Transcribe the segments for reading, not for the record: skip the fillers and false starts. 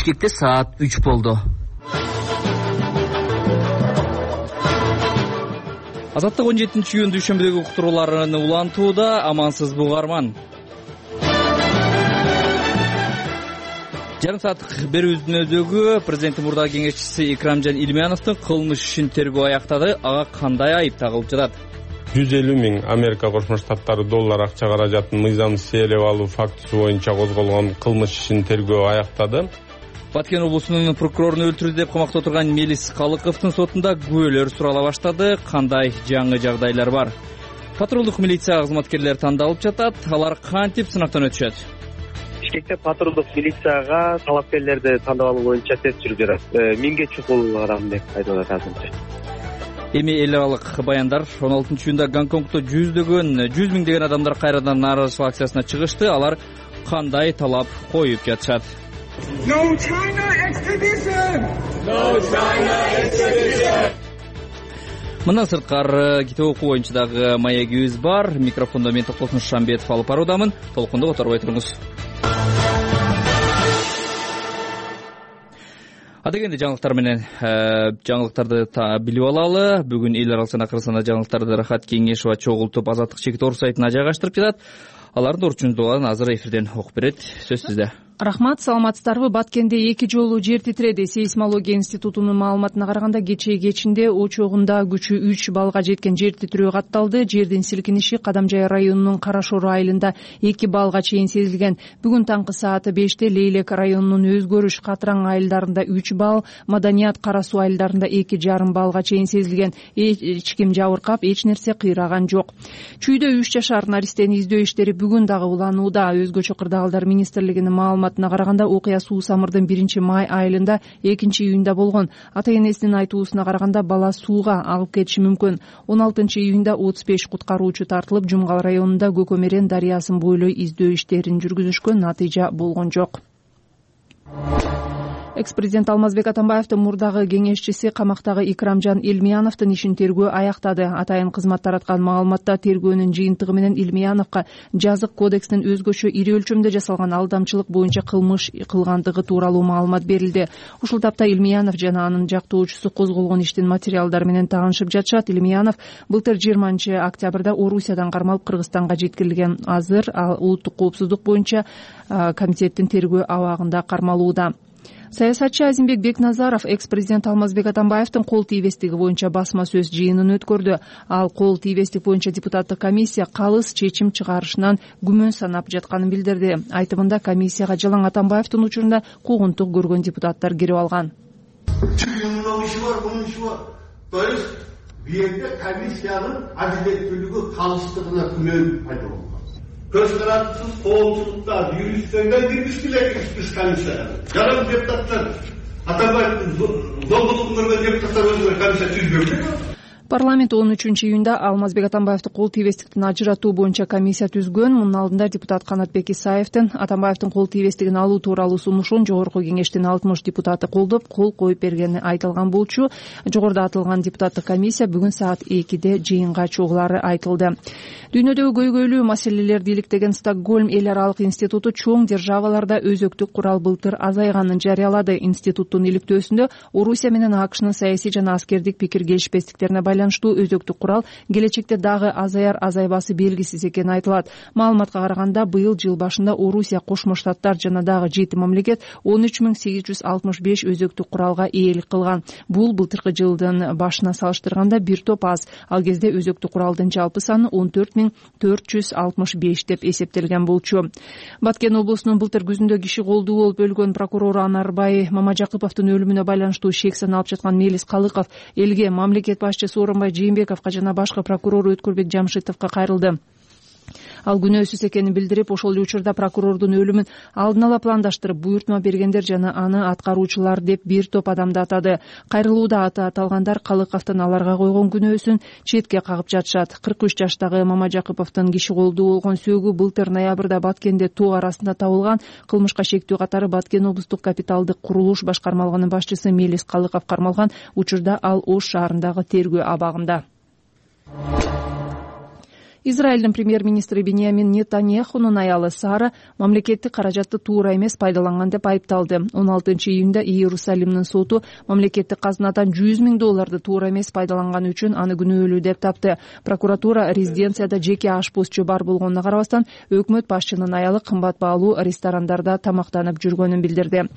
Бишкекте саат 3 болду. Азаттык 17-июнь дүйшөмбүдөгү уктурууларын улантууда. Амансызбы угарман. Жарым сааттык берүүбүздүн өзөгү президенттин мурдагы кеңешчиси Икрамжан Илмияновдун кылмыш ишин тергөө аяктады. Ага кандай айып тагылып жатат? 150 миң Америка Кошмо Штаттары доллар акча каражатын мыйзамсыз ээлеп алуу фактысы боюнча козголгон кылмыш ишин тергөө аяктады. Баткен облусунун прокурорун өлтүрдү деп камакта отурган Мелис Калыковдун сотунда күбөлөр сурала баштады. Кандай жаңы жагдайлар бар? Патрулдук милиция кызматкерлери тандалып жатат. Алар кантип сынактан өтүшөт? Бишкекте патрулдук милицияга талапкерлерди тандап алуу боюнча тест жүрүп жатат. 1000ге чукул адам деп айтып атат азырынча. Эми эл аралык баяндар 16-июнда Гонконгдо 100 миңдеген адамдар кайрадан нааразычылык акциясына чыгышты. Алар кандай талап коюп жатышат? No China extradition! No China extradition! Мындан сырткары китеп окуу боюнча дагы маегибиз бар. Микрофондо мен Токтосун Шамбетов алып баруудамын. Толкунду которбой туруңуз. Адегенде жаңылыктар менен жаңылыктарды билип алалы. Бүгүн эл аралык жана Кыргызстанда жаңылыктарды Рахат Кеңешова чогултуп Азаттык чекит орус сайтына жайгаштырып жатат. Алардын орчундугун азыр эфирден окуп берет. Сөз сизде. Рахмат, саламатсыздарбы? Баткенде 2 жолу жер титиреди. Сейсмология институтунун маалыматына караганда кечинде очогунда күчү 3 баллга жеткен жер титирөө катталды. Жердин силкиниши Кадамжай районунун Карашор айылында 2 баллга чейин сезилген. Бүгүн таңкы саат 5те Лейлек районунун Өзгөрүш, Катраң айылдарында 3 балл, Маданият, Кара Суу айылдарында 2,5 баллга чейин сезилген. Эч ким жабыркап, эч нерсе кыйраган жок. Чүйдө 3 жашар наристени издөө иштери бүгүн дагы уланууда. Өзгөчө кырдаалдар министрлигинин маалыматына караганда окуя суусамырдын 1-май айылында 2-июнда болгон. Ата-энесинин айтуусуна караганда бала сууга агып кетиши мүмкүн. 16-июнда 35 куткаруучу тартылып, Жумгал районунда Көкөмерен дарыясын бойлой издөө иштерин жүргүзүшкөн, натыйжа болгон жок. Экс-президент Алмазбек Атамбаевдин мурдагы кеңешчиси камактагы Икрамжан Илмияновдун ишин тергөө аяктады. Атайын кызмат тараткан маалыматта тергөөнүн жыйынтыгы менен Илмияновго жазык кодекстин өзгөчө ири өлчөмдө жасалган алдамчылык боюнча кылмыш кылгандыгы тууралуу маалымат берилди. Ушул тапта Илмиянов жана анын жактоочусу козголгон иштин материалдары менен таанышып жатышат. Илмиянов былтыр 20-октябрда Орусиядан кармалып Кыргызстанга жеткирилген. Азыр ал улуттук коопсуздук боюнча комитеттин тергөө абагында кармалууда. Саясатчы Азимбек Бекназаров экс-президент Алмазбек Атамбаевдин кол тийбестиги боюнча басма сөз жыйынын өткөрдү. Ал кол тийбестик боюнча депутаттык комиссия калыс чечим чыгарышынан күмөн санап жатканын билдирди. Айтымында комиссияга Жалаң Атамбаевдин учурунда куугунтук көргөн депутаттар кирип алган. Түйүнүн иши бар, бунун иши бар. То есть бүйөкте комиссиянын адилеттүүлүгү калыстыгына күмөн пайда болгон. Көз карандысыз, коомчулукта, юристтерден киргизбейт комиссияга. Жаран депутаттар, Атамбаевдин зомбулугун көргөн депутаттар өзүнө комиссия түзбөйбү. Парламент 13-июнда Алмазбек Атамбаевди кол тийбестиктен ажыратуу боюнча комиссия түзгөн. Мунун алдында депутат Канатбек Исаевдин Атамбаевдин кол тийбестигин алуу тууралуу сунушун жогорку кеңештин 60 депутаты колдоп, кол коюп бергени айтылган болчу. Жогоруда атылган депутаттык комиссия бүгүн саат 2де жыйынга чогулары айтылды. Дүйнөдөгү көйгөйлүү маселелерди иликтеген Стокгольм эл аралык институту чоң державаларда өзөктүк курал былтыр азайганын жарыялады. Институттун иликтөөсүндө Орусия менен АКШнын саясий жана аскердик пикир келишпестиктерине байланыштуу өзөктүк курал келечекте дагы азаяр азайбасы белгисиз экени айтылат. Маалыматка караганда быйыл жыл башында Орусия, Кошмо Штаттар жана дагы 7 мамлекет 13.865 өзөктүк куралга ээлик кылган. Бул былтыркы жылдын башына салыштырганда бир топ аз. Ал кезде өзөктүк куралдын жалпы саны 14.465 деп эсептелген болчу. Баткен облусунун былтыр күзүндө киши колдуу болуп өлгөн прокурору Анарбай Мамажакыповдун өлүмүнө байланыштуу шек саналып жаткан Мелис Калыков элге, мамлекет башчысы Орунбай Жээнбековго жана башкы прокурор Өткүрбек Жамшитовго кайрылды. Ал күнөөсүз экенин билдирип, ошол эле учурда прокурордун өлүмүн алдын ала пландаштырып, буйртма бергендер жана аны аткаруучулар деп бир топ адамды атады. Кайрылууда аты аталгандар Калыковдун аларга койгон күнөөсүн четке кагып жатышат. 43 жаштагы Мамажакыповдун киши колдуу болгон сөөгү былтыр ноябрда Баткенде тоо арасында табылган. Кылмышка шектүү катары Баткен облустук капиталдык курулуш башкармалыгынын башчысы Мелис Калыков кармалган. Учурда ал Ош шаарындагы тергөө абагында. Израилдин премьер-министри Биньямин Нетаньяхунун аялы Сара мамлекеттик каражатты туура эмес пайдаланган деп айыпталды. 16-июнда Иерусалимдин соту мамлекеттик казынадан $100,000 туура эмес пайдаланганы үчүн аны күнөөлүү деп тапты. Прокуратура резиденцияда жеке ашпозчу бар болгонуна карабастан өкмөт башчынын аялы кымбат баалуу ресторандарда тамактанып жүргөнүн билдирди.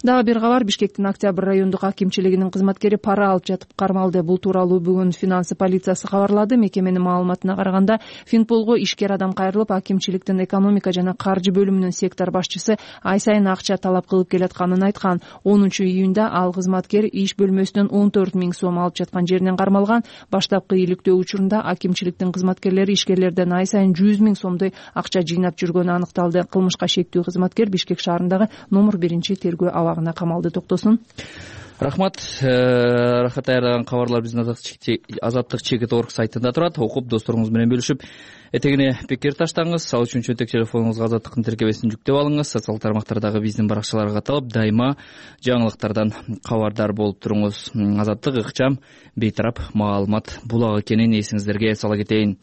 Дагы бир кабар, Бишкектин Октябрь райондук акимчилигинин кызматкери пара алып жатып кармалды. Бул тууралуу бүгүн финансы полициясы кабарлады. Мекеменин маалыматына караганда Финполго ишкер адам кайрылып, акимчиликтин экономика жана каржы бөлүмүнүн сектор башчысы ай сайын акча талап кылып келатканын айткан. 10-июнда ал кызматкер иш бөлмөсүнөн 14,000 сом алып жаткан жеринен кармалган. Баштапкы иликтөө учурунда акимчиликтин кызматкерлери ишкерлерден ай сайын 100,000 сомдой акча жыйнап жүргөнү аныкталды. Кылмышка шектүү кызматкер Бишкек шаарындагы номер 1 тергөө абагына камалды. Токтосун. Рахмат. Рахат аярдаган кабарлар биздин азаттык чекит орг сайтында турат. Окуп досторуңуз менен бөлүшүп, этегине пикир таштаңыз. Ал үчүн чөнтөк телефонуңузга азаттыктын тиркебесин жүктөп алыңыз. Социалдык тармактардагы биздин баракчаларга катылып, дайыма жаңылыктардан кабардар болуп туруңуз. Азаттык ыкчам, бейтарап маалымат булагы экенин эсиңиздерге сала кетейин.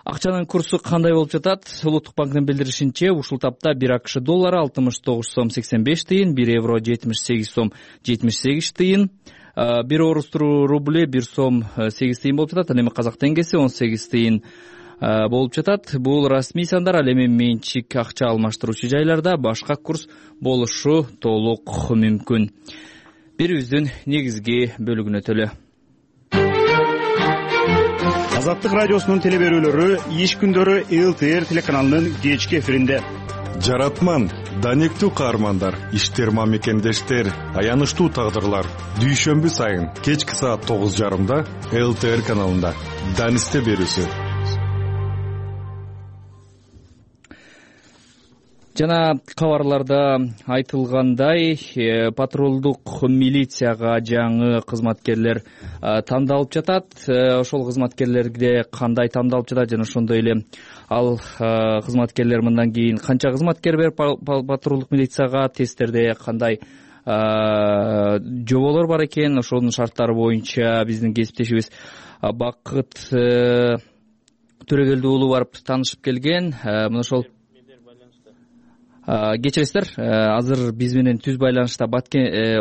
Акчанын курсу кандай болуп жатат? Улуттук банктын билдиришинче, ушул тапта 1 АКШ доллары 69 сом 85 тыйын, 1 евро 78 сом 78 тыйын, 1 орус рубли 1 сом 8 тыйын болуп жатат. Ал эми казак теңгеси 18 тыйын болуп жатат. Бул расмий сандар. Ал эми менчик акча алмаштыруучу жайларда башка курс болушу толук мүмкүн. Бирибиздин негизги бөлүгүнө төлө. Азаттык радиосунун телеберүүлөрү иш күндөрү ЛТР телеканалынын кечки эфиринде. Жаратман, данектүү каармандар, иштер мамекендештер, аянычтуу тагдырлар. Дүйшөмбү сайын кечки саат 9:30 ЛТР каналында. Данисте берүүсү. Жана кабарларда айтылгандай, патрулдук милицияга жаңы кызматкерлер тандалып жатат. Ошол кызматкерлерге кандай тандалып жатат жана ошондой эле ал кызматкерлер мындан кийин канча кызматкер берип патрулдук милицияга, тесттерде кандай жоболор бар экен, ошонун шарттары боюнча биздин кесиптешибиз Бакыт Төрөгелди уулу барып таанышып келген. Мына ошол кечиресиздер, азыр биз менен түз байланышта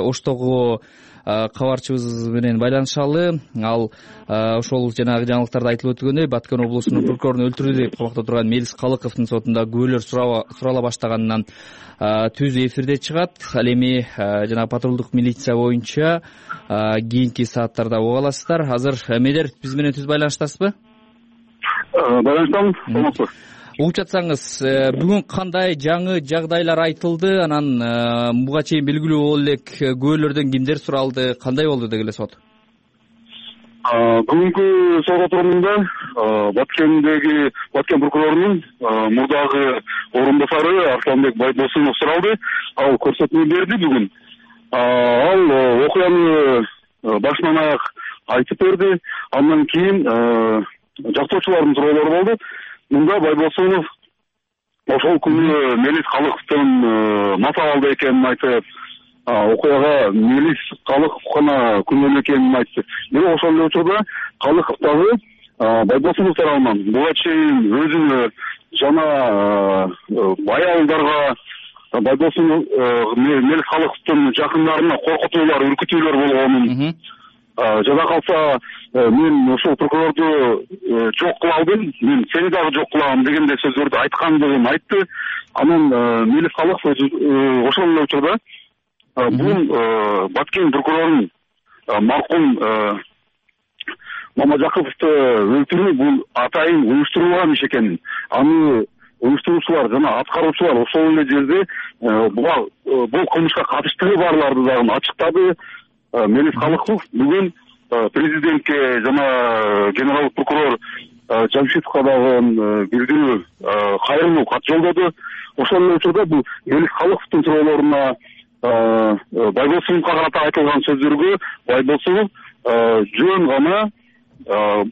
Оштогу кабарчыбыз менен байланышалы. Ал ошол жанагы жаңылыктарда айтылып өтүлгөндөй, Баткен облусунун прокурорун өлтүрдү деп камакта турган Мелис Калыковдун сотунда күбөлөр сурала баштаганынан түз эфирде чыгат. Ал эми жанагы патрулдук милиция боюнча кийинки сааттарда уга аласыздар. Азыр эмелер биз менен түз байланыштасызбы? Байланыштамын. Угуп жатсаңыз, бүгүн кандай жаңы жагдайлар айтылды? Анан буга чейин белгилүү боло элек күбөлөрдөн кимдер суралды? Кандай болду деги эле сот? Бүгүнкү сот отурумунда Баткен прокурорунун мурдагы орунбасары Арсланбек Байбосунов суралды. Ал көрсөтмө берди бүгүн. Ал окуяны башынан аяк айтып берди. Андан кийин жактоочулардын суроолору болду. Мында Байбосунов ошол күнү Мелис Калыковдун матабалда экенин айтып, окуяга Мелис Калыков гана күнөөнү экенин айтты. Бирок ошол эле учурда Калыков дагы Байбосунов тарабынан буга чейин өзүнө жана аялдарга Байбосунов Мелис Калыковдун жакындарына коркутуулар, үркүтүүлөр болгонун, жада калса мен ошол прокурорду жок кыла алдым, мен сени дагы жок кылам дегендей сөздөрдү айткандыгын айтты. Анан Мелис Калыков ошол эле учурда бул Баткен прокурорунун маркум Мамажаковду өлтүрүү бул атайын уюштурулган иш экенин, аны уюштуруучулар жана аткаруучулар ошол эле жерде бул кылмышка катыштыгы барларды дагы ачыктады. Мелис Калыков бүгүн президентке жана генералдык прокурор Жамшитовго дагы билдирүү, кайрылуу кат жолдоду. Ошол эле учурда бул Мелис Калыковдун суроолоруна Байбосуновго карата айтылган сөздөргө Байбосунов жөн гана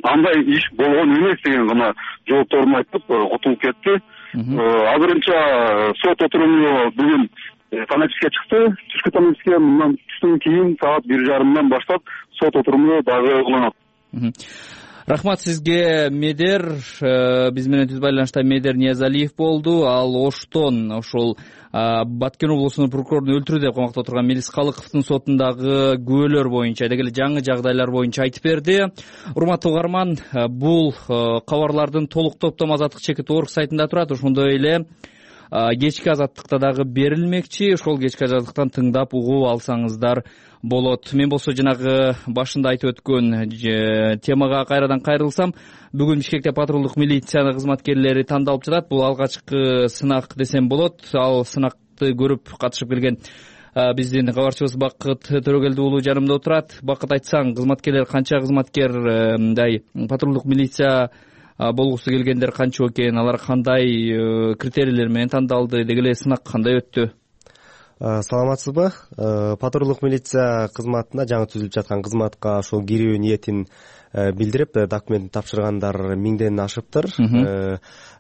андай иш болгон эмес деген гана жоопторун айтып кутулуп кетти. Азырынча сот отуруму бүгүн таңертеңге чыкты. Түшкү таңертеңге мындан түштөн кийин саат 1:30 баштап сот отуруму дагы кылынат. Рахмат сизге, Медер. Биз менен түз байланышта Медер Ниязалиев болду. Ал Оштон ошол Баткен облусунун прокурорун өлтүрүү деп камакта отурган Мелис Калыковдун сотундагы күбөлөр боюнча, деги эле жаңы жагдайлар боюнча айтып берди. Урматтуу угарман, бул кабарлардын толук топтому Азаттык чекит орг сайтында турат. Ошондой эле кечки Азаттыкта дагы берилмекчи. Ошол кечки Азаттыктан тыңдап угуп алсаңыздар болот. Мен болсо жанагы башында айтып өткөн темага кайрадан кайрылсам, бүгүн Бишкекте патрулдук милиция кызматкерлери тандалып жатат. Бул алгачкы сынак десем болот. Ал сынакты көрүп катышып келген биздин кабарчыбыз Бакыт Төрөгелди уулу жанымда отурат. Бакыт, айтсаң, кызматкерлер канча, кызматкер патрулдук милиция болгусу келгендер канча экен, алар кандай критерийлер менен тандалды, деги эле сынак кандай өттү? Саламатсызбы? Патрулдук милиция кызматына, жаңы түзүлүп жаткан кызматка ошол кирүү ниетин билдирип, документин тапшыргандар 1000ден ашыптыр.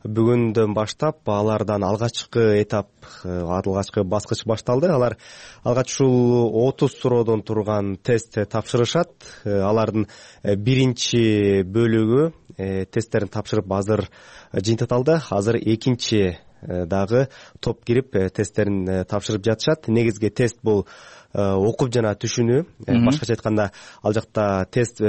Бүгүндөн баштап алардан алгачкы этап, алгачкы баскыч башталды. Алар алгач ушул 30 суроодон турган тест тапшырышат. Алардын биринчи бөлүгү тесттерин тапшырып азыр жыйынтыкталды. Азыр экинчи дагы топ кирип тесттерин тапшырып жатышат. Негизги тест бул окуп жана түшүнүү. Башкача айтканда, ал жакта текст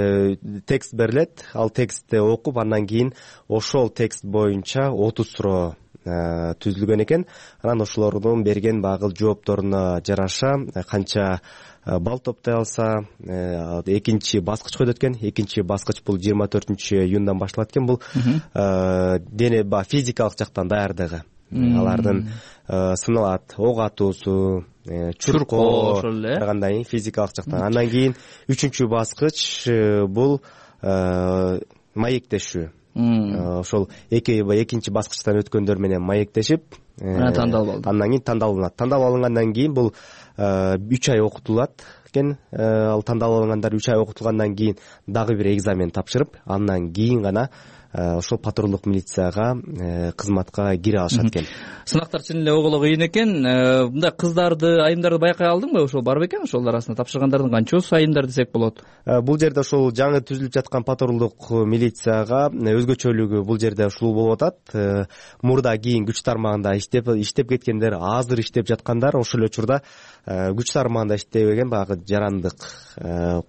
берилет. Ал текстти окуп, андан кийин ошол текст боюнча 30 суроо түзүлгөн экен. Анан ошолордун берген багыл жоопторуна жараша канча балл топтой алса экинчи баскычка өтөт экен. Экинчи баскыч бул 24-июндан башталат экен. Бул дене физикалык жактан даярдыгы. Алардын сыналат, ок атуусу, чуркоо, кандай физикалык жактан. Андан кийин 3-үчү баскыч бул маектешүү. Ошол экинчи баскычтан өткөндөр менен маектешип, тандалып алды. Андан кийин тандалып алынгандан кийин бул 3 ай окутулат экен. Ал тандалып алынгандар 3 ай окутулгандан кийин дагы бир экзамен тапшырып, андан кийин гана ошол патрулдук милицияга кызматка кире алышат экен. Сынактар чын эле оголо кыйын экен. Мындай кыздарды, айымдарды байкай алдыңбы? Ошол бар бекен? Ошол арасында тапшыргандардын канчасы айымдар десек болот? Бул жерде ошол жаңы түзүлүп жаткан патрулдук милицияга өзгөчөлүгү бул жерде ушул болуп атат. Мурда кийин күч тармагында иштеп кеткендер, азыр иштеп жаткандар, ошол учурда күч тармагында иштебеген багы жарандык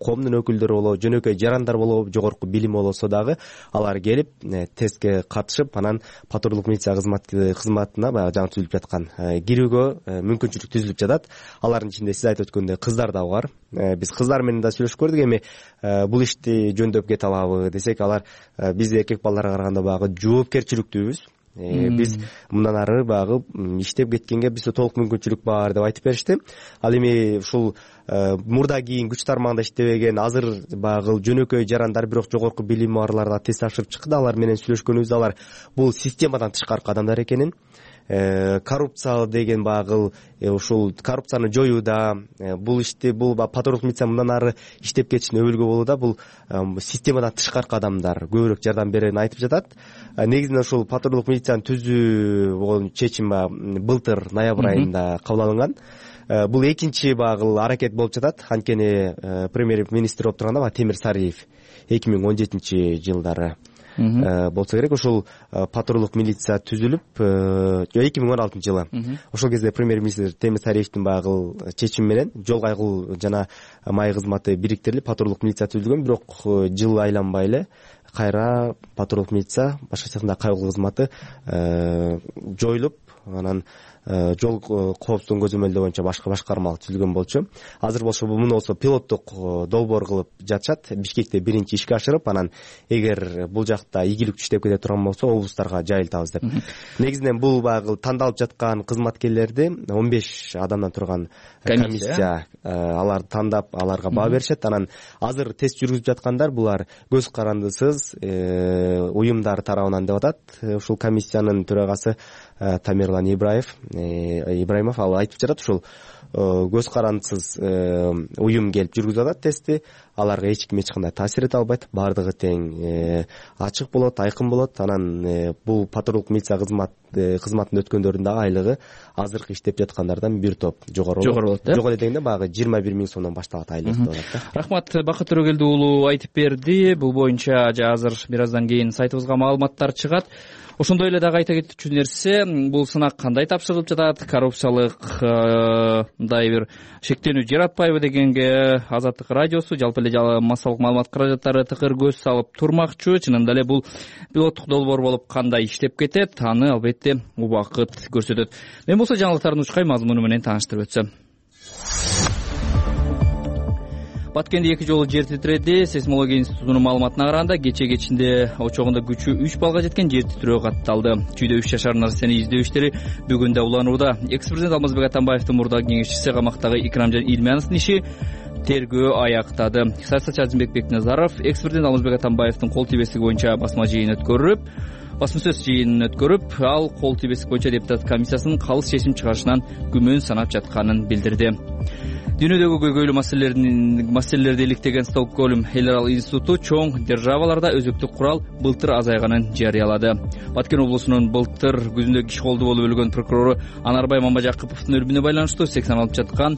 коомдун өкүлдөрү болобу, жөнөкөй жарандар болобу, жогорку билими болсо дагы алар келип тестке катышып, анан патрулдук милиция кызматына баягы жаңы түзүлүп жаткан кирүүгө мүмкүнчүлүк түзүлүп жатат. Алардын ичинде сиз айтып өткөндөй кыздар да бар. Биз кыздар менен да сүйлөшүп көрдүк. Эми бул ишти жөндөп кете алабы десек, алар биз эркек балдарга караганда багы жоопкерчиликтүүбүз. Биз мындан ары багы иштеп кеткенге бизде толук мүмкүнчүлүк бар деп айтып беришти. Ал эми ушул мурда кийин күч тармагында иштебеген, азыр багы жөнөкөй жарандар, бирок жогорку билими барларга тест тапшырып чыкты. Алар менен сүйлөшкөнүбүздө алар бул системадан тышкаркы адамдар экенин, коррупция деген багыл ушул коррупцияны жоюуда, бул ишти бул патрулдук милиция мындан ары иштеп кетишин өбөлгө болууда, бул системадан тышкаркы адамдар көбүрөөк жардам берерин айтып жатат. Негизинен ушул патрулдук милицияны түзүү чечим былтыр ноябрь айында кабыл алынган. Бул экинчи багыл аракет болуп жатат. Анткени премьер-министр болуп турганда Темир Сариев 2017-жылдары болсо керек. Ошол патрулдук милиция түзүлүп 2016-жылы. Ошол кезде премьер-министр Темир Сариевдин багыл чечими менен жол кайгыл жана май кызматы бириктирилип патрулдук милиция түзүлгөн. Бирок жыл айланбай эле кайра патрулдук милиция, башкача айтканда кайгыл кызматы жоюлуп, анан жол коопсуздугун көзөмөлдөө боюнча башка башкарма түзүлгөн болчу. Азыр болсо муну болсо пилоттук долбоор кылып жатышат. Бишкекте биринчи ишке ашырып, анан эгер бул жакта ийгиликтүү иштеп кете турган болсо облустарга жайылтабыз деп. Негизинен бул багыл тандалып жаткан кызматкерлерди 15 адамдан турган комиссия аларды тандап, аларга баа беришет. Анан азыр тест жүргүзүп жаткандар булар көз карандысыз уюмдар тарабынан деп атат. Ушул комиссиянын төрагасы Тамерлан Ибраимов ал айтып жатат, ушул көз карандысыз уюм келип жүргүзүп атат тестти. Аларга эч ким эч кандай таасир эте албайт. Бардыгы тең ачык болот, айкын болот. Анан бул патрулдук милиция кызматын өткөндөрдүн да айлыгы азыркы иштеп жаткандардан бир топ жогору болот. Жогору дегенде баягы 20 1 000 сомдон башталат айлык деп атат да. Рахмат, Бакыт Төрөгелди уулу айтып берди. Бул боюнча азыр бир аздан кийин сайтыбызга маалыматтар чыгат. Ошондой эле дагы айта кетчү нерсе, бул сынак кандай тапшырылып жатат, коррупциялык мындай бир шектенүү жаратпайбы дегенге Азаттык радиосу жалпы эле массалык маалымат каражаттары тыкыр көз салып турмакчу. Чынында эле бул пилоттук долбоор болуп кандай иштеп кетет, аны албетте убакыт көрсөтөт. Мен болсо жаңылыктардын учкай мазмуну менен тааныштырып өтсөм. Баткенде 2 жолу жер титиреди. Сейсмология институтунун маалыматына караганда кечинде очогунда күчү 3 баллга жеткен жер титирөө катталды. Чүйдө 3 жашар нарсени издөө иштери бүгүн да уланууда. Экс-президент Алмазбек Атамбаевдин мурдагы кеңешчиси камактагы Икрамжан Илмановдун иши тергөө аяктады. Саясатчы Азимбек Бекназаров экс-президент Алмазбек Атамбаевдин кол тийбестиги боюнча басма сөз жыйынын өткөрүп, ал кол тийбестик боюнча депутат комиссиясынын калыс чечим чыгарышынан күмөн санап жатканын билдирди. Дүйнөдөгү көйгөйлүү маселелерди иликтеген Стокгольм эл аралык институту чоң державаларда өзөктүк курал былтыр азайганын жарыялады. Баткен облусунун былтыр күзүндө киши колду болуп өлгөн прокурору Анарбай Мамажакыповдун өлүмүнө байланыштуу 80 алып жаткан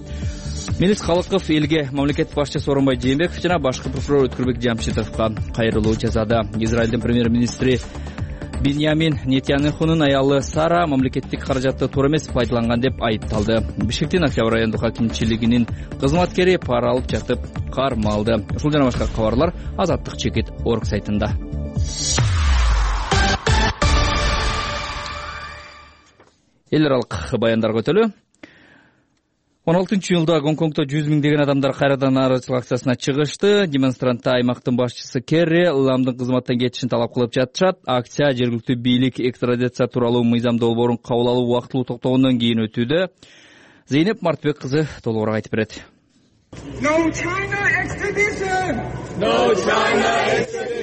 Мелис Калыков элге мамлекет башчысы Сооронбай Жээнбеков жана башкы прокурор Өткүрбек Жамшитовго кайрылуу жасады. Израилдин премьер-министри Биньямин Нетаньяхунун аялы Сара мамлекеттик каражатты туура эмес пайдаланган деп айыпталды. Бишкектин Октябрь райондук акимчилигинин кызматкери пара алып жатып кармалды. Ушул жана башка кабарлар Азаттык чекит орг сайтында. Эл аралык баяндарга өтөлү. 16-жылда Гонконгдо 100 миңдеген адамдар кайрадан нааразычылык акциясына чыгышты. Демонстранттар аймактын башчысы Керри Ламдын кызматтан кетишин талап кылып жатышат. Акция жергиликтүү бийлик экстрадиция тууралуу мыйзам долбоорун кабыл алуу убактылуу токтогондон кийин өтүүдө. Зейнеп Мартбек кызы толугураак айтып берет. No China extradition! No China extradition!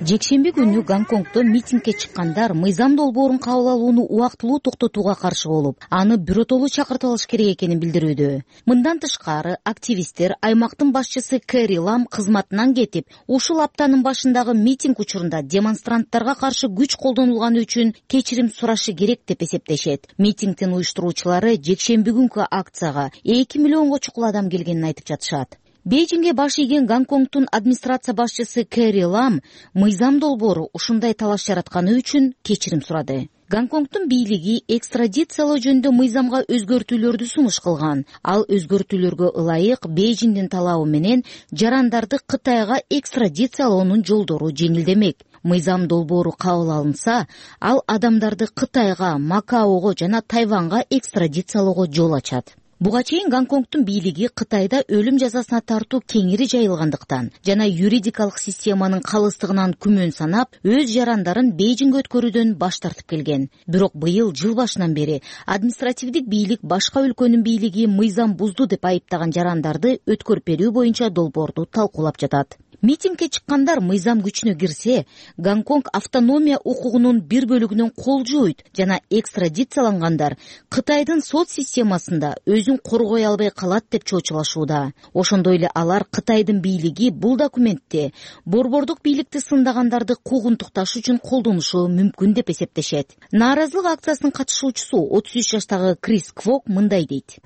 Жекшемби күнү Гонконгдо митингге чыккандар мыйзам долбоорун кабыл алууну убактылуу токтотууга каршы болуп, аны биротолуу чакыртып алыш керек экенин билдирүүдө. Мындан тышкары, активисттер аймактын башчысы Керри Лам кызматынан кетип, ушул аптанын башындагы митинг учурунда демонстранттарга каршы күч колдонулганы үчүн кечирим сурашы керек деп эсептешет. Митингдин уюштуруучулары жекшемби күнкү акцияга 2 миллионго чукул адам келгенин айтып жатышат. Бейжиңге баш ийген Гонконгдун администрация башчысы Керри Лам мыйзам долбоору ушундай талаш жаратканы үчүн кечирим сурады. Гонконгдун бийлиги экстрадициялоо жөнүндө мыйзамга өзгөртүүлөрдү сунуш кылган. Ал өзгөртүүлөргө ылайык Бейжиңдин талабы менен жарандарды Кытайга экстрадициялоонун жолдору жеңилдемек. Мыйзам долбоору кабыл алынса, ал адамдарды Кытайга, Макаого жана Тайванга экстрадициялоого жол ачат. Буга чейин Гонконгдун бийлиги Кытайда өлүм жазасына тартуу кеңири жайылгандыктан жана юридикалык системанын калыстыгынан күмөн санап, өз жарандарын Бейжиңге өткөрүүдөн баш тартып келген. Бирок быйыл жыл башынан бери административдик бийлик башка өлкөнүн бийлиги мыйзам бузду деп айыптаган жарандарды өткөрүп берүү боюнча долбоорду талкуулап жатат. Митингге чыккандар мыйзам күчүнө кирсе, Гонконг автономия укугунун бир бөлүгүнөн кол жууйт жана экстрадициялангандар Кытайдын сот системасында өзүн коргой албай калат деп чоочулашууда. Ошондой эле алар Кытайдын бийлиги бул документте борбордук бийликти сындагандарды куугунтукташ үчүн колдонушу мүмкүн деп эсептешет. Нааразылык акциясынын катышуучусу 33 жаштагы Крис Квок мындай дейт.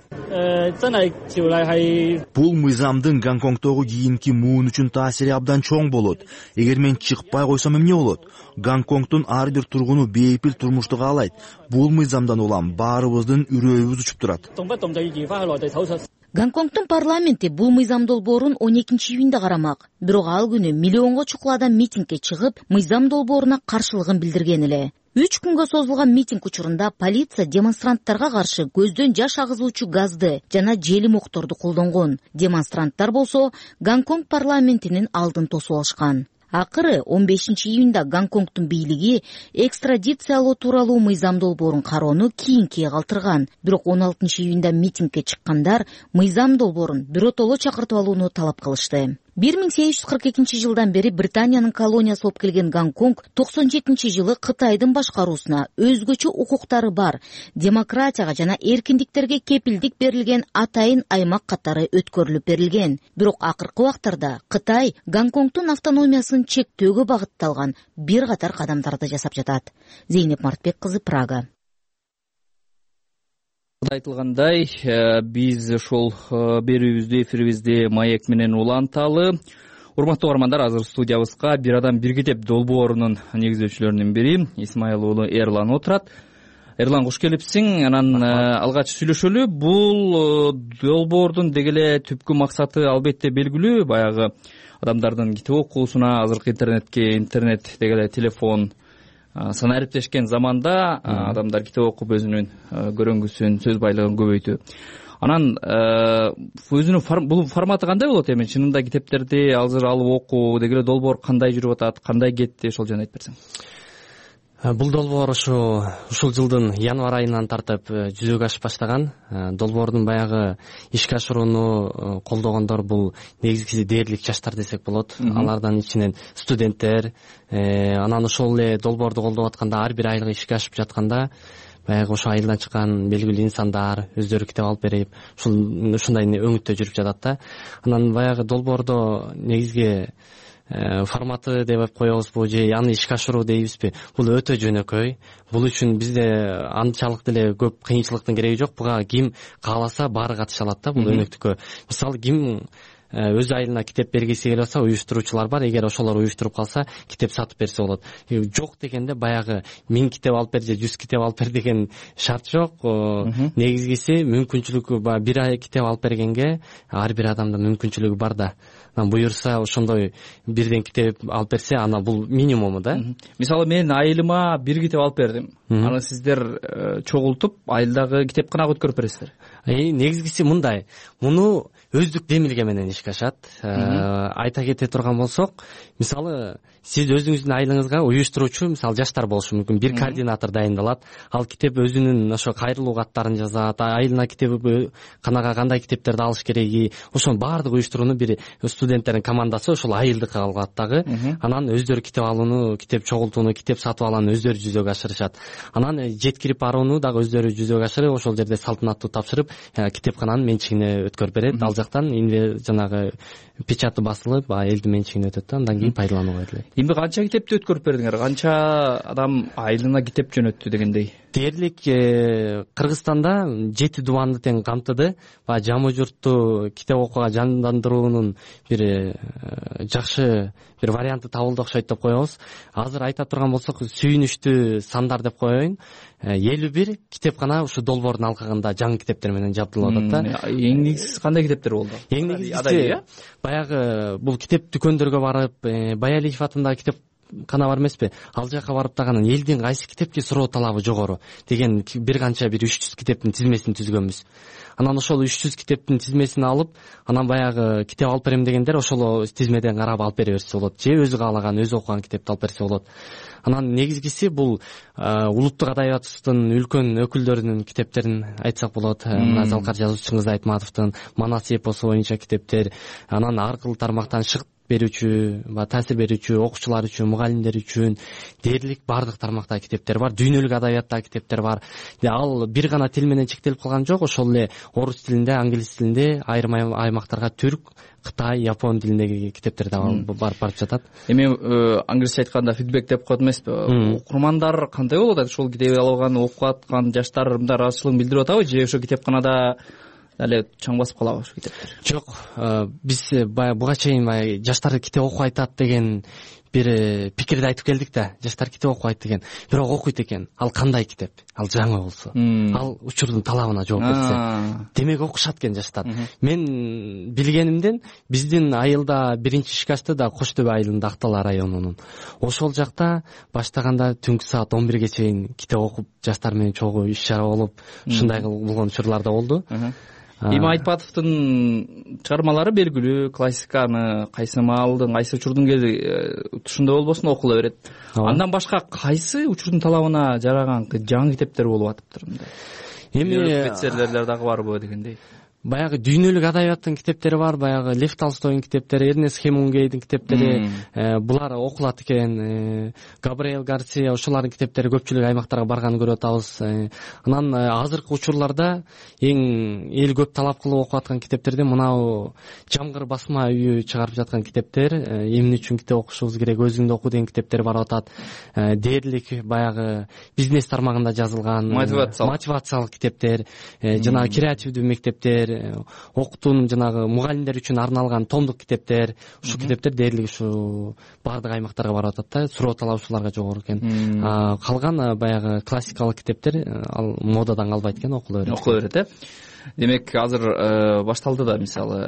Бул мыйзамдын Гонконгдогу кийинки муун үчүн таасири абдан чоң болот. Эгер мен чыкпай койсом эмне болот? Гонконгдун ар бир тургуну бейпил турмушту каалайт. Бул мыйзамдан улам баарыбыздын үрөйүбүз учуп турат. Гонконгдун парламенти бул мыйзам долбоорун 12-июнда карамак. Бирок ал күнү миллионго чукул адам митингге чыгып, мыйзам долбооруна каршылыгын билдирген эле. 3 күнгө созулган митинг учурунда полиция демонстранттарга каршы көздөн жаш агызуучу газды жана желим окторду колдонгон. Демонстранттар болсо Гонконг парламентинин алдын тосуп алышкан. Акыры 15-июнда Гонконгдун бийлиги экстрадициялоо тууралуу мыйзам долбоорун кароону кийинкиге калтырган. Бирок 16-июнда митингге чыккандар мыйзам долбоорун биротоло чакыртып алууну талап кылышты. 1842 бери Британиянын колониясы болуп келген Гонконг 97-жылы Кытайдын башкаруусуна өзгөчө укуктары бар, демократияга жана эркиндиктерге кепилдик берилген атайын аймак катары өткөрүлүп берилген. Бирок акыркы убактарда Кытай Гонконгдун автономиясын чектөөгө багытталган бир катар кадамдарды жасап жатат. Зейнеп Мартбек кызы, Прага. Айтылгандай, биз ошол берүүбүздү, эфирибизди маек менен уланталы. Урматтуу угармандар, азыр студиябызга бир адам бир китеп долбоорунун негиздөөчүлөрүнүн бири Исмаил уулу Эрлан отурат. Эрлан, кош келипсиң. Анан алгач сүйлөшөлү. Бул долбоордун деги эле түпкү максаты албетте белгилүү. Баягы адамдардын китеп окуусуна, азыркы интернет деги эле телефон санариптешкен заманда адамдар китеп окуп өзүнүн көрөнгүсүн, сөз байлыгын көбөйтүү. Анан өзүнүн бул форматы кандай болот эми? Чынында китептерди азыр алып окуу деги эле долбоор кандай жүрүп атат, кандай кетти, ошол жөнүндө айтып берсең. Бул долбоор ушул жылдын январь айынан тартып жүзөгө ашып баштаган. Долбоордун баягы ишке ашырууну колдогондор бул негизгиси дээрлик жаштар десек болот. Алардан ичинен студенттер, анан ошол эле долбоорду колдоп атканда ар бир айлык ишке ашып жатканда баягы ошо айылдан чыккан белгилүү инсандар өздөрү китеп алып берип, ушундай өңүттө жүрүп жатат да. Анан баягы долбоордо негизги форматы деп коебузбу же аны ишке ашыруу дейбизби, бул өтө жөнөкөй. Бул үчүн бизде анчалык деле көп кыйынчылыктын кереги жок. Буга ким кааласа баары катыша алат да бул өнөктүккө. Мисалы ким өз айылына китеп бергиси келип атса, уюштуруучулар бар. Эгер ошолор уюштуруп калса, китеп сатып берсе болот. Жок дегенде баягы 1000 китеп алып бер же 100 китеп алып бер деген шарт жок. Негизгиси мүмкүнчүлүгү бир китеп алып бергенге ар бир адамдын мүмкүнчүлүгү бар да. Буюрса ошондой бирден китеп алып берсе, ана бул минимуму да. Мисалы мен айылыма бир китеп алып бердим. Аны сиздер чогултуп айылдагы китепканага өткөрүп бересиздер. Негизгиси мындай. Муну өздүк демилге менен ишке ашат. Айта кете турган болсок, мисалы сиз өзүңүздүн айылыңызга уюштуруучу, мисалы жаштар болушу мүмкүн, бир координатор дайындалат. Ал китеп өзүнүн ошо кайрылуу каттарын жазат, айылына китепканага кандай китептерди алыш кереги, ошонун баардык уюштурууну бир студенттердин командасы ошол айылдыкка алат дагы. Анан өздөрү китеп алууну, китеп чогултууну, китеп сатып алууну өздөрү жүзөгө ашырышат. Анан жеткирип барууну дагы өздөрү жүзөгө ашырып, ошол жерде салтанаттуу тапшырып, китепкананын менчигине өткөрүп берет. Ал жактан жанагы печаты басылып, элдин менчигине өтөт да, андан кийин пайдаланууга берилет. Эми канча китепти өткөрүп бердиңер? Канча адам айылына китеп жөнөттү дегендей? Дээрлик Кыргызстанда 7 дубанды тең камтыды. Жамы журтту китеп окууга жандандыруунун бир жакшы бир варианты табылды окшойт деп коебуз. Азыр айта турган болсок, сүйүнүчтүү сандар деп коеюн. 51 китепкана ушу долбоордун алкагында жаңы китептер менен жабдылып атат да. Эң негизгиси кандай китептер болду? Эң негизгиси баягы бул китеп дүкөндөргө барып, Баялиев атындагы китепкана бар эмеспи? Ал жака барып дагы элдин кайсы китепке суроо талабы жогору деген бир канча 300 китептин тизмесин түзгөнбүз. Анан ошол 300 китептин тизмесин алып, анан баягы китеп алып берем дегендер ошол тизмеден карап алып бере берсе болот. Же өзү каалаган, өзү окуган китепти алып берсе болот. Анан негизгиси бул улуттук адабиятыбыздын үлкөн өкүлдөрүнүн китептерин айтсак болот. Мына Залкар жазуучу Чыңгыз Айтматовдун Манас эпосу боюнча китептер, анан ар кыл тармактан шыгыт берүүчү, таасир берүүчү окуучулар үчүн, мугалимдер үчүн дээрлик бардык тармактагы китептер бар. Дүйнөлүк адабияттагы китептер бар. Ал бир гана тил менен чектелип калган жок. Ошол эле орус тилинде, англис тилинде, айрым аймактарга түрк, Кытай, Япон тилиндеги китептер да барып жатат. Эми англисче айтканда фидбек деп коет эмеспи? Окурмандар кандай болот? Ошол китеп алган, окуп аткан жаштар мындай ыраазычылыгын билдирип атабы? Же ошо китепканада эле чаң басып калабы ошо китептер? Жок, биз буга чейин жаштар китеп окуп айтат деген бир пикирди айтып келдик да. Жаштар китеп окуп айт деген. Бирок окуйт экен. Ал кандай китеп? Ал жаңы болсо, ал учурдун талабына жооп берсе, демек окушат экен жаштар. Мен билгенимден биздин айылда биринчи ишке ашты да Кош Төбө айылында, Актала районунун. Ошол жакта баштаганда түнкү саат 11ге чейин китеп окуп, жаштар менен чогуу иш чара болуп, ушундай болгон учурлар да болду. Эми Айтпатовдун чыгармалары белгилүү, классиканы кайсы маалдын, кайсы учурдун тушундай болбосун окула берет. Андан башка кайсы учурдун талабына жараган жаңы китептер болуп атыптыр мындай? Эми бестселлерлер дагы барбы дегендей. Баягы дүйнөлүк адабияттын китептери бар, баягы Лев Толстойдун китептери, Эрнест Хемингуэйдин китептери, булар окулат экен. Габриэл Гарсия, ошолордун китептери көпчүлүк аймактарга барганын көрүп атабыз. Анан азыркы учурларда эң эл көп талап кылып окуп аткан китептерден мынау Жамгыр басма үйү чыгарып жаткан китептер, эмне үчүн китеп окушубуз керек, өзүңдү оку деген китептер барып атат. Дээрлик баягы бизнес тармагында жазылган мотивациялык китептер, жана креативдүү мектептер, окутуунун жанагы мугалимдер үчүн арналган томдук китептер, ушу китептер дээрлик ушу баардык аймактарга барып атат да, суроо талабычыларга жогору экен. Калган баягы классикалык китептер ал модадан калбайт экен, окула берет. Демек азыр башталды да, мисалы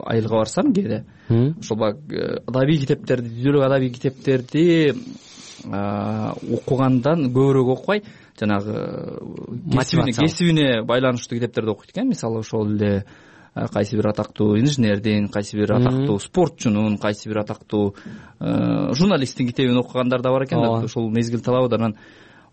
айылга барсам кээде ошол адабий китептерди, дүйнөлүк адабий китептерди окугандан көбүрөөк окубай, жанагы кесибине байланыштуу китептерди окуйт экен. Мисалы ошол эле кайсы бир атактуу инженердин, кайсы бир атактуу спортчунун, кайсы бир атактуу журналисттин китебин окугандар да бар экен. Ошол мезгил талабыда. Анан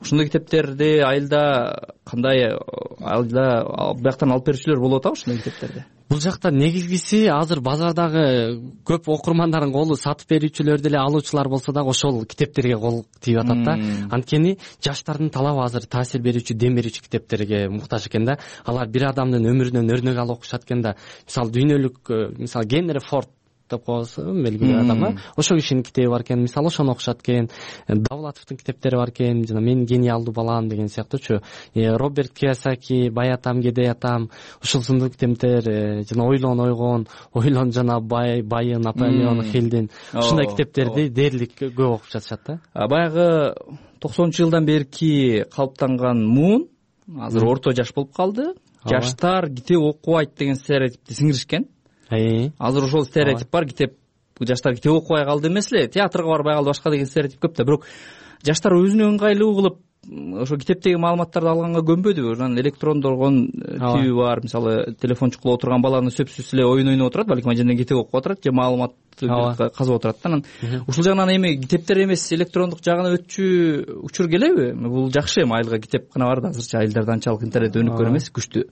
ошондой китептерди айылда кандай, айылда бияктан алып берүүчүлөр болуп атабы ошондой китептерди? Бул жакта негизгиси азыр базардагы көп окурмандардын колу сатып берүүчүлөр деле алуучулар болсо дагы ошол китептерге кол тийип атат да. Анткени жаштардын талабы азыр таасир берүүчү, дем берүүчү китептерге муктаж экен да. Алар бир адамдын өмүрүнөн өрнөк алып окушат экен да. Мисалы дүйнөлүк, мисалы Генри Форд деп коебуз, белгилүү адам, ошол кишинин китеби бар экен. Мисалы ошону окушат экен. Давлатовдун китептери бар экен, жана Мен гениалдуу балам деген сыяктуучу. Роберт Кийосаки, Бай атам, Кедей атам, ушул сындуу китептер, жана Ойлон ойгон, Ойлон жана Байы, Наполеон Хиллдин ушундай китептерди дээрлик көп окуп жатышат да. Баягы 90-жылдан берки калыптанган муун азыр орто жаш болуп калды. Жаштар китеп окубайт деген стереотипти сиңиришкен. Азыр ошол стереотип бар, жаштар китеп окубай калды эмес эле, театрга барбай калды, башка деген стереотип көп да. Бирок жаштар өзүнө ыңгайлуу кылып ошо китептеги маалыматтарды алганга көнбөдүбү? Анан электрондоргон түйү бар, мисалы телефон чукулуп отурган баланы сөзсүз эле оюн ойноп отурат, балким анча китеп окуп отурат же маалыматты казып отурат да. Анан ушул жагынан эми китептер эмес электрондук жагына өтчү учур келеби? Бул жакшы, эми айылга китеп гана бар да, азырча айылдарда анчалык интернет өнүккөн эмес, күчтүү.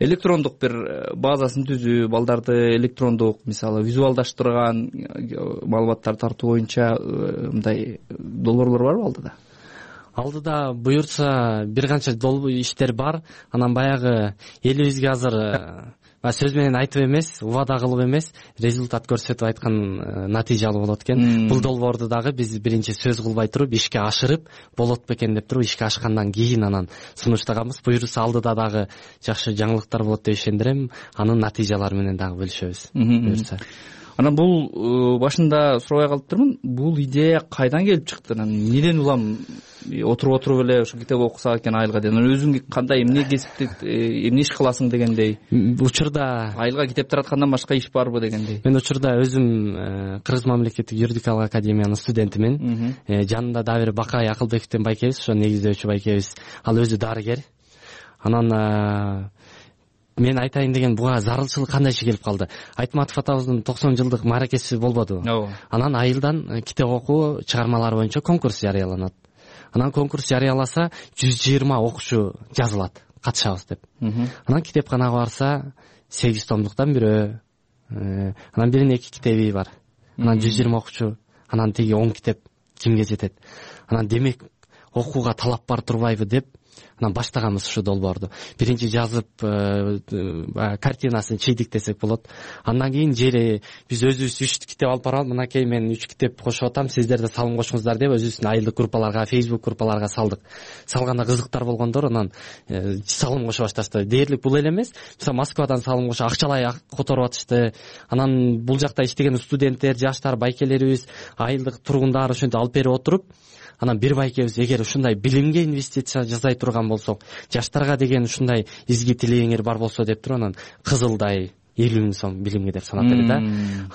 Электрондук бир базасын түзүү, балдарды электрондук, мисалы визуалдаштырган маалыматтарды тартуу боюнча мындай долбоорлор барбы алдыда? Алдыда буюрса бир канча иштер бар. Анан баягы элибизге азыр сөз менен айтып эмес, убада кылып эмес, результат көрсөтүп айткан натыйжалуу болот экен. Бул долбоорду дагы биз биринчи сөз кылбай туруп ишке ашырып болот бекен деп туруп ишке ашкандан кийин анан сунуштаганбыз. Буюрса алдыда дагы жакшы жаңылыктар болот деп ишендирем. Анын натыйжалары менен дагы бөлүшөбүз. Буюрса. Анан бул башында сурабай калыптырмын, бул идея кайдан келип чыкты? Анан эмнеден улам отуруп эле ошо китеп окусак экен айылга деп? Өзүң кандай, эмне кесипти, эмне иш кыласың дегендей? Учурда айылга китеп тараткандан башка иш барбы дегендей? Мен учурда өзүм Кыргыз мамлекеттик юридикалык академиянын студентимин. Жанында дагы бир Бакай Акылбековден байкебиз, ошо негиздөөчү байкебиз. Ал өзү дарыгер. Анан мен айтайын деген буга зарылчылык кандай келип калды. Айтматов атабыздын 90 жылдык мааракеси болбодубу? Анан айылдан китеп окуу чыгармалары боюнча конкурс жарыяланат. Анан конкурс жарыяласа 120 окуучу жазылат, катышабыз деп. Анан китепканага барса 8 томдуктан бирөө, анан биринин 2 китеби бар. Анан 120 окуучу, анан тиги 10 китеп кимге жетет? Анан демек окууга талап бар турбайбы деп анан баштаганбыз ушу долбоорду. Биринчи жазып картинасын чыйдык десек болот. Андан кийин жери биз өзүбүз 3 китеп алып барып, мынакей мен 3 китеп кошуп атам, сиздер да салым кошуңуздар деп өзүбүздүн айылдык группаларга, Facebook группаларга салдык. Салганда кызыктар болгондор анан салым кошу башташты. Дээрлик бул эле эмес. Мисалы Москвадан салым кошу акчалай которуп атышты. Анан бул жакта иштеген студенттер, жаштар, байкелерибиз, айылдык тургундар ошентип алып берип отуруп, анан бир байкебиз эгер ушундай билимге инвестиция жасай турган болсок, жаштарга деген ушундай изги тилегиңер бар болсо деп туруп анан кызылдай 50 000 сом билимге деп санап берди да.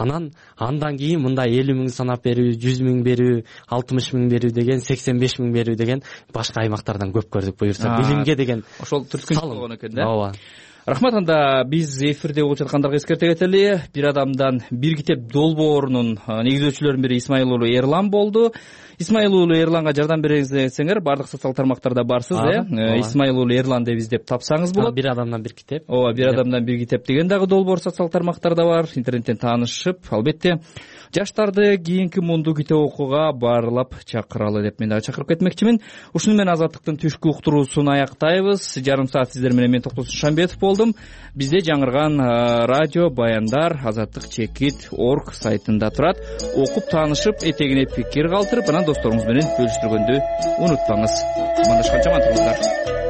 Анан андан кийин мындай 50 000 санап берүү, 100 000 берүү, 60 000 берүү деген, 85 000 берүү деген башка аймактардан көп көрдүк. Буюрса билимге деген ошол түрткүнчү болгон экен да. Ооба. Рахмат. Анда биз эфирде болуп жаткандарга эскерте кетели. Бир адамдан бир китеп долбоорунун негиздөөчүлөрүнүн бири Исмаил уулу Эрлан болду. Исмаил уулу Эрланга жардам бериңиз десеңер, бардык социалдык тармактарда барсыз, Исмаил уулу Эрлан деп издеп тапсаңыз болот. Бир адамдан бир китеп. Ооба, бир адамдан бир китеп деген дагы долбоор социалдык тармактарда бар. Интернеттен таанышып, албетте жаштарды кийинки мунду китеп окууга баарлап чакыралы деп мен дагы чакырып кетмекчимин. Ушуну менен Азаттыктын түшкү уктуруусун аяктайбыз. Жарым саат сиздер менен мен Токтосун Шамбетов болдум. Бизде жаңырган радио баяндар azatlyk.org сайтында турат. Окуп таанышып, этегине пикир калтырып, анан досторуңуз менен бөлүштүргөндү унутпаңыз. Амандашканча аман туруңуздар.